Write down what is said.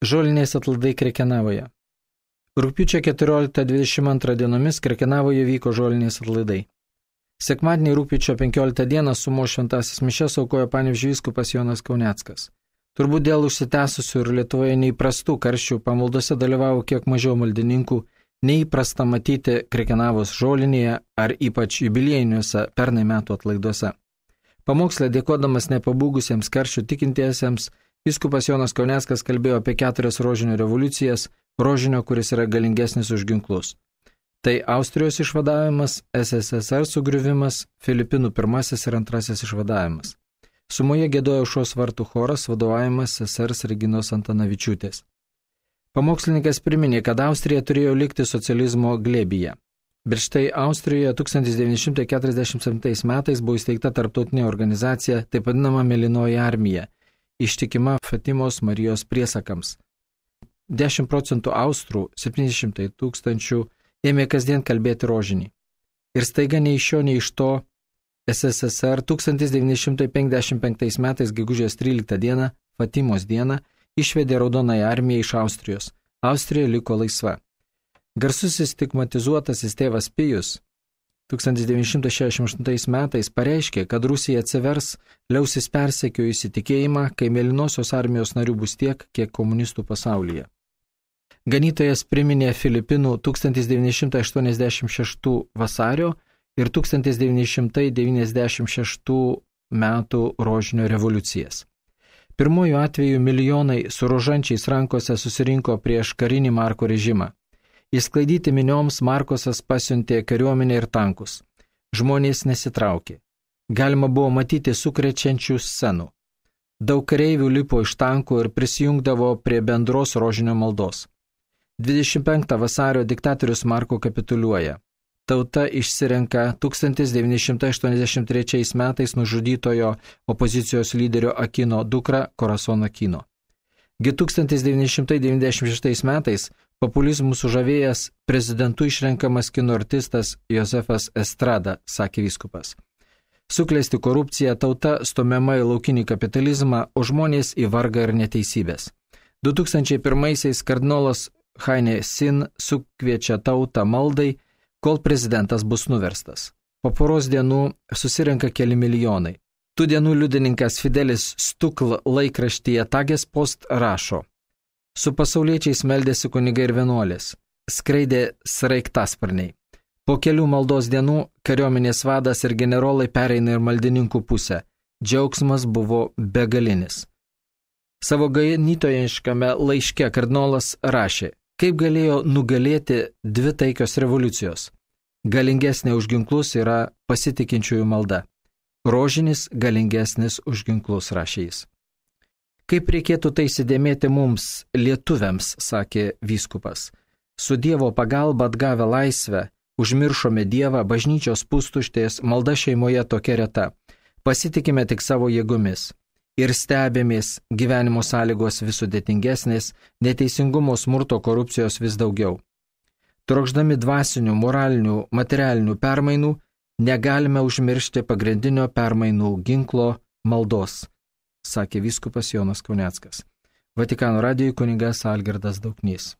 Žoliniais atlaidai Krekenavoje. Rugpjūčio 14-22 dienomis Krekenavoje vyko žoliniais atlaidai. Sekmadienį rugpjūčio 15 dieną sumos šventasis mišias aukojo Panevėžio vyskupas Jonas Kauneckas. Turbūt dėl užsitęsusių ir Lietuvoje neįprastų karščių pamaldose dalyvavo kiek mažiau maldininkų, neįprasta matyti Krekenavos žolinėje ar ypač jubiliejiniuose pernai metų atlaiduose. Pamokslę dėkodamas nepabūgusiems karščių tikintiesiems, vyskupas Jonas Kauneckas kalbėjo apie 4 rožinio revoliucijas, rožinio, kuris yra galingesnis už ginklus. Tai Austrijos išvadavimas, SSSR sugriuvimas, Filipinų pirmasis ir antrasis išvadavimas. Sumoje giedojo Aušros vartų choras, vadovavimas sesers Reginos Antanavičiūtės. Pamokslininkas priminė, kad Austrija turėjo likti socializmo glėbyje. Bet štai Austrijoje 1947 metais buvo įsteigta tarptautinė organizacija, taip vadinama Mėlynoji armija, ištikima Fatimos Marijos priesakams. 10% austrų, 700 000, ėmė kasdien kalbėti rožinį. Ir staiga nei iš šio, nei iš to SSSR 1955 metais gegužės 13 dieną, Fatimos dieną, išvedė Raudonąją armiją iš Austrijos. Austrija liko laisva. Garsusis stigmatizuotasis tėvas Pijus 1968 metais pareiškė, kad Rusija atsivers, liausis persekiojusi tikėjimą, kai Mėlynosios armijos narių bus tiek, kiek komunistų pasaulyje. Ganytojas priminė Filipinų 1986 vasario ir 1996 metų rožinio revoliucijas. Pirmojų atveju milijonai su rožančiais rankose susirinko prieš karinį Marko režimą. Įsklaidyti minioms Markosas pasiuntė kariuomenę ir tankus. Žmonės nesitraukė. Galima buvo matyti sukrečiančių scenų. Daug kareivių lipo iš tankų ir prisijungdavo prie bendros rožinio maldos. 25 vasario diktatorius Marko kapituliuoja. Tauta išsirenka 1983 metais nužudytojo opozicijos lyderio Akino dukrą Corazon Aquino. 1996 metais populizmų sužavėjęs prezidentu išrenkamas kino artistas Josefas Estrada, sakė vyskupas. Suklesti korupcija, tauta stumiama į laukinį kapitalizmą, o žmonės į vargą ir neteisybės. 2001 kardinolas Haine Sin sukviečia tautą maldai, kol prezidentas bus nuverstas. Po poros dienų susirenka keli milijonai. Tų dienų liudininkas Fidelis Stukl laikraštyje Tages Post rašo: su pasauliečiais meldėsi kunigai ir vienuolės, skraidė sraigtasparniai. Po kelių maldos dienų kariuomenės vadas ir generolai pereina ir maldininkų pusę. Džiaugsmas buvo begalinis. Savo ganytojiškame laiške kardinolas rašė: kaip galėjo nugalėti 2 taikios revoliucijos? Galingesnė už ginklus yra pasitikinčiųjų malda. Rožinis galingesnis už ginklus, rašė jis. Kaip reikėtų tai įsidėmėti mums, lietuviams, sakė vyskupas. Su Dievo pagalba atgavę laisvę, užmiršome Dievą, bažnyčios pustuštės, malda šeimoje tokia reta. Pasitikime tik savo jėgomis. Ir stebėmės, gyvenimo sąlygos vis sudėtingesnės, neteisingumo, smurto, korupcijos vis daugiau. Trokšdami dvasinių, moralinių, materialinių permainų, negalime užmiršti pagrindinio permainų ginklo maldos, sakė vyskupas Jonas Kauneckas. Vatikano radijui kunigas Algirdas Dauknys.